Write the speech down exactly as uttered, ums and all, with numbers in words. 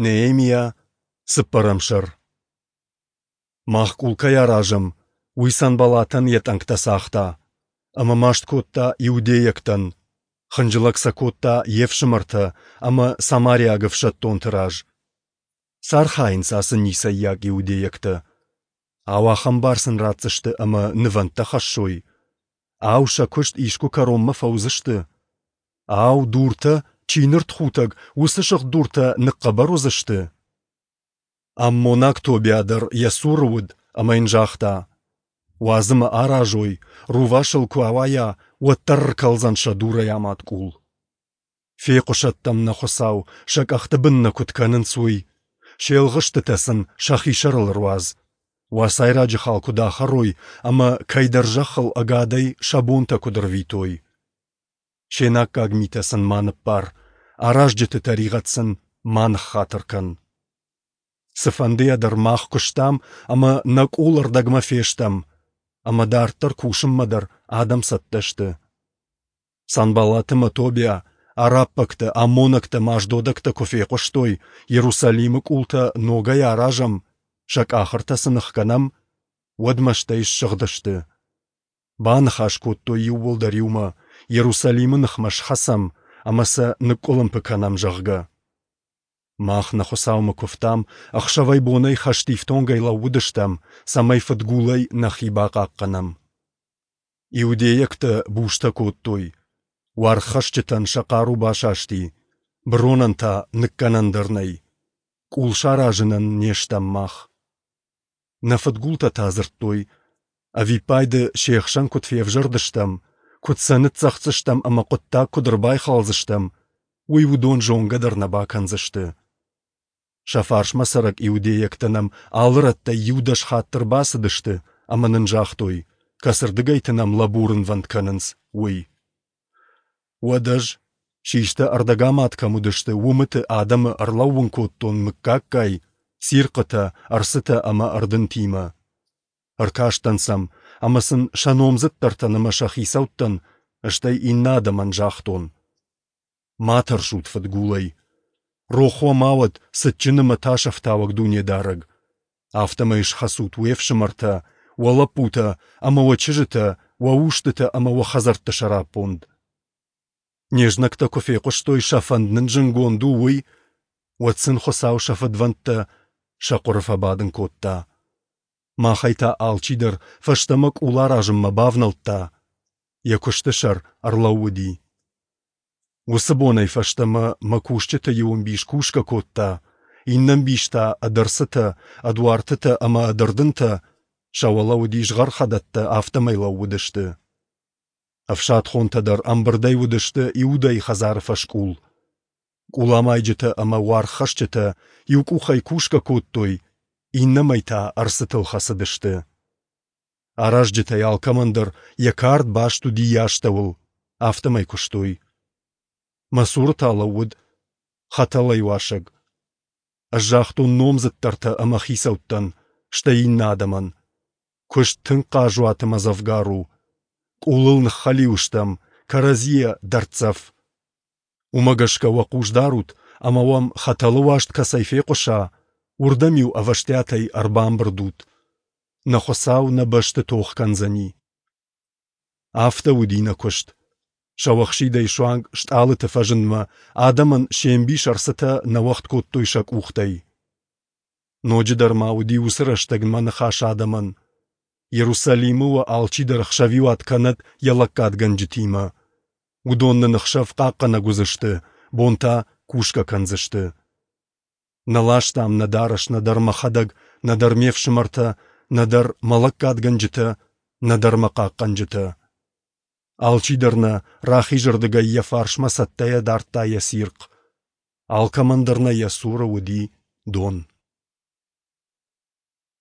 Неемиа, цыппӕрӕм сӕр. Мах къул кӕй аразӕм, уый Санбаллатӕн йӕ тъӕнгтӕ цагъта, ӕмӕ маст кодта иудейӕгтӕн, хынджылӕг сӕ кодта йе фсымӕртӕ ӕмӕ самариаг ӕфсӕддонты раз. Цы архайынц ацы ницӕййаг иудейӕгтӕ? Ау, ахӕм бар сын ратдзысты, ӕмӕ нывӕндтӕ хӕссой? Ау, сӕ куыст искуы кӕронмӕ фӕуыдзысты? Ау, дуртӕ, чи ныртхутӕг, уыцы сыгъд дуртӕ ныхъхъӕбӕр уыдзысты? Аммонаг Тобиа дӕр йӕ цуры уыд ӕмӕ йын загъта: Уадз ӕмӕ аразой, рувас ыл куы ауайа, уӕддӕр ӕркӕлдзӕн сӕ дурӕй амад къул. Фехъуысӕд дӕм нӕ Хуыцау, сӕ къӕхты бын нӕ куыд кӕнынц, уый. Се лгъыстытӕ сын сӕхи сӕрыл ӕруадз. Уацайраджы хал куыд ахӕрой ӕмӕ кӕйдӕр зӕххыл ӕгадӕй сӕ бонтӕ куыд ӕрвитой. Се наккаг митӕ сын ма ныббар, аразджыты тӕригъӕд сын ма ныххатыр кӕн. Цыфӕндыйӕ дӕр мах куыстам ӕмӕ нӕ къул ӕрдӕгмӕ фестӕм, ӕмӕ дарддӕр кусынмӕ дӕр адӕм цӕттӕ сты. Санбаллат ӕмӕ Тобиа, араббӕгтӕ, аммонӕгтӕ ӕмӕ ашдодӕгтӕ куы фехъуыстой, Иерусалимы къултӕ ногӕй аразӕм, сӕ къахыртӕ сын ӕхгӕнӕм, уӕд мӕстӕй ссыгъдысты. Баныхас кодтой иууылдӕр иумӕ, Иерусалимы ныхмӕ схӕцӕм ӕмӕ сӕ ныкъкъуылымпы кӕнӕм, зӕгъгӕ. Мах нӕ Хуыцаумӕ куывтам, ӕхсӕвӕй-бонӕй хӕстифтонгӕй лӕууыдыстӕм, цӕмӕй фыдгулӕй нӕхи бахъахъхъӕнӕм. Иудейӕгтӕ бустӕ кодтой, уаргъхӕсджытӕн сӕ хъару басасти, быронӕн та ныккӕнӕн дӕр нӕй. Къул саразынӕн не стӕм мах. Нӕ фыдгултӕ та дзырдтой, ӕвиппайды се хсӕн куыд февзӕрдыстӕм, куыд сӕ ныццӕгъддзыстӕм ӕмӕ хъуыддаг куыд ӕрбайхалдзыстӕм, уый уыдон зонгӕ дӕр нӕ бакӕндзысты. Сӕ фарсмӕ цӕрӕг иудейӕгтӕ нӕм алы рӕттӕй иу-дӕс хатты ӕрбацыдысты ӕмӕ нын загътой, кӕцырдыгӕйты нӕм лӕбурынвӕнд кӕнынц, уый. Уӕд ӕз, систӕ ӕрдӕгамад кӕм уыдысты, уымыты адӕмы ӕрлӕууын кодтон мыггаггай, цирхъытӕ, ӕрцытӕ ӕмӕ ӕрдынтимӕ. Ӕркастӕн сӕм ӕмӕ сын сӕ номдзыддӕртӕн ӕмӕ сӕ хицӕуттӕн, стӕй иннӕ адӕмӕн загътон: Ма тӕрсут фыдгулӕй. Рох уӕ ма уӕд цытджын ӕмӕ тасӕфтауӕг Дунедарӕг. Афтӕмӕй схӕцут уе фсымӕртӕ, уӕ лӕппутӕ ӕмӕ уӕ чызджытӕ, уӕ устытӕ ӕмӕ уӕ хӕдзӕртты сӕраппонд. Не знӕгтӕ куы фехъуыстой, сӕ фӕнд нын зынгонд у, уый, уӕд сын Хуыцау сӕ фыдвӕндтӕ сӕ хъуыры фӕбадын кодта. Махӕй та алчидӕр фӕстӕмӕ къул аразынмӕ бавнӕлдта, йӕ куысты сӕр ӕрлӕууыди. Уыцы бонӕй фӕстӕмӕ мӕ кусджыты иу ӕмбис кусгӕ кодта, иннӕ ӕмбис та ӕд ӕрцытӕ, ӕд уартытӕ ӕмӕ ӕд ӕрдынтӕ, сӕ уӕлӕ уыди згъӕрхӕдӕттӕ, афтӕмӕй лӕууыдысты. Ӕфсадхонтӕ дӕр ӕмбырдӕй уыдысты Иудӕйы хӕдзары фӕскъул. Къуламайджытӕ ӕмӕ уаргъхӕсджытӕ иу къухӕй кусгӕ кодтой, иннӕмӕй та ӕрцытыл хӕцыдысты. Аразджытӕй алкӕмӕн дӕр йӕ кард баст уыди йӕ астӕуыл, афтӕмӕй куыстой. Мӕ цуры та лӕууыд хӕтӕлӕй уасӕг. Ӕз загътон номдзыддӕртӕ ӕмӕ хицӕуттӕн, стӕй иннӕ адӕмӕн: Куыст тынг хъазуат ӕмӕ дзӕвгар у. Къулыл ныххӕлиу стӕм, кӕрӕдзийӕ дӕрддзӕф. Уымӕ гӕсгӕ уӕ хъус дарут ӕмӕ уӕм хӕтӕлы уаст кӕцӕй фехъуыса, уырдӕм-иу ӕвӕстиатӕй ӕрбамбырд ут. Нӕ Хуыцау нӕ бӕсты тох кӕндзӕни. Афтӕ уыди нӕ куыст. Сӕуӕхсидӕй суанг стъалыты фӕзындмӕ адӕмӕн се мбис ӕрцытӕ нӕ уӕгъд кодтой сӕ къухтӕй. Ноджыдӕр ма уыди уыцы рӕстӕг мӕ ныхас адӕмӕн: Иерусалимы уӕ алчидӕр ӕхсӕвиуат кӕнӕд йӕ лӕггадгӕнджытимӕ. Уыдон нын ӕхсӕв хъахъхъӕнӕг уыдзысты, бон та кусгӕ кӕндзысты. Нӕ ластам нӕ дарӕс нӕдӕр мӕхӕдӕг, нӕдӕр ме фсымӕртӕ, нӕдӕр мӕ лӕггадгӕнджытӕ, нӕдӕр мӕ хъахъхъӕнджытӕ. Алчидӕр нӕ рахизырдыгӕй йӕ фарсмӕ цӕттӕйӕ дардта йӕ цирхъ. Алкӕмӕн дӕр нӕ йӕ цуры уыди дон.